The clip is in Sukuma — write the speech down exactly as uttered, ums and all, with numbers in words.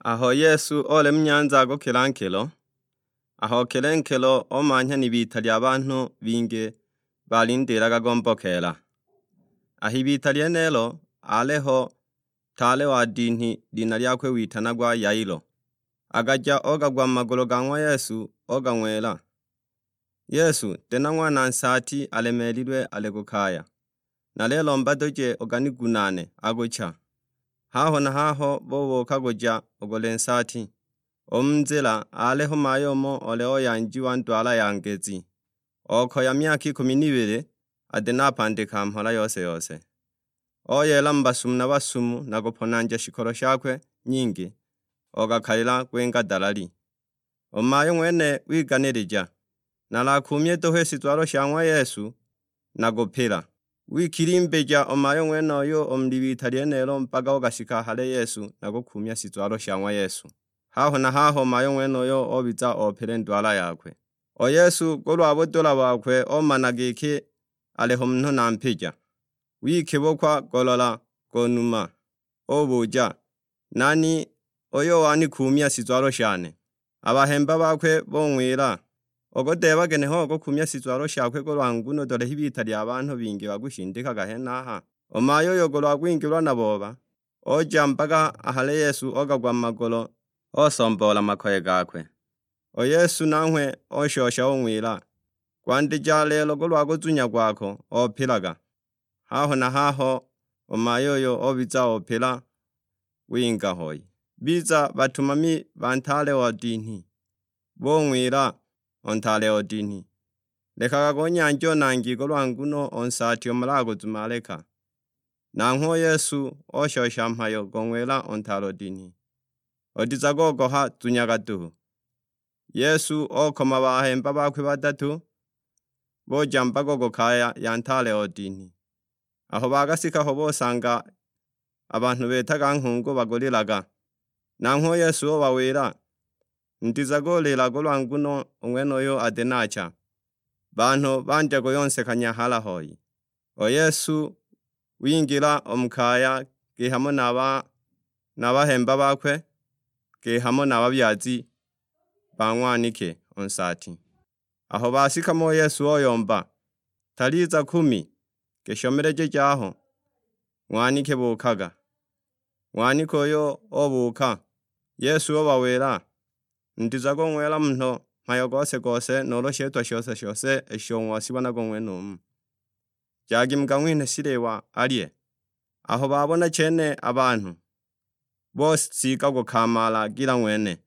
Aho Yesu oli mu nyanza agukila nkilo, aho okile nkilo omanhya n'ibita lya banhu bingi balindilaga gombokeela. Aho ibita lyenelo aliho ntaale wa dinhi, lina lyakwe witanagwa Yailo. Agaja ogagwa mu magulu ga ng'wa Yesu, ogang'wila, "Yesu, tena ng'wana nsaati alemeelilwe ali ku kaya. Nalelomba duje uganigunaane, agucha." Haho na haho bubuuka guja ugule nsaati. U mu nzila aliho mayo umo ole oyanjiwa ndwala ya ngezi, okoya myaka ikumi n'ibili, ati napandika mhola yose-yose. Oyeela mu basumu na basumu na kuponanja shikolo shakwe nyingi, ogakalila kwinga dalali. U mayo ng'wene wiganilija, "Nalakuumye duhu i shizwalo sha ng'wa Yesu, nagupila." Wikilimbija u mayo ng'wenuyo u mu libita lyenelo mpaka ugashika hale Yesu na kukuumya shizwalo sha ng'wa Yesu. Haho na haho mayo ng'wenuyo obiza opile ndwala yakwe. U Yesu kulwa budula bokwe omana giki aliho munhu na mpija. Wikibukwa golola go numa, ubuja, "Nani uyo wanikuumya shizwalo shane?" A bahemba bakwe bung'wila, "Ukudeeba ginehe ukukumya shizwalo shakwe kulwa nguno dole h'ibita lya banhu bingi bakushindikaga henaha?" U mayo uyo kulwa kwingilwa na booba, oja mpaka ahale Yesu ogagwa mu magulu, osomboola makoye gakwe. U Yesu nanghwe oshosha ung'wila, "Kwandija lelo kulwa kuzunya kwako opilaga." Haho na haho u mayo uyo obiza opila winga hoi. Biza batumami ba ntaale o dinhi, bung'wila u ntaale o dinhi, "Lekaga kunyanja u nangi kulwa nguno u nsaati umalaga kuzumaleka." Nanghwe u Yesu oshosha mhayo gong'wila u ntaale o dinhi, "Utizaga ogoha, zunyaga duhu." Yesu okoma bahemba bakwe badatu, buja mbago ku kaya ya ntaale o dinhi. Aho bagasika ho busanga a banhu betaga nghungu bagulilaga. Nanghwe u Yesu ubawila, "Mutizaga ulila kulwa nguno u ng'wenuyu ati nacha." Banhu bandya kuyonsekanya hala hoi. U Yesu wingila u mu kaya, kihamo na ba na bahemba bakwe, kihamo na babyazi ba ng'wanike u nsaati. Aho bashika mo u Yesu oyomba, "Taliza kumi," gishomeleje jaho, ng'wanike buukaga. Ng'wanike uyo obuuka, Yesu ubawila, "Mutizaga ung'wila munhu mhayo gose-gose nuulu shitwa shose-shose isho ng'wasibonaga u ng'wenumu. Jagi mukang'winhe shiliwa alye." Aho babona chene a banhu, bosiiga kukamaala gila ng'wene.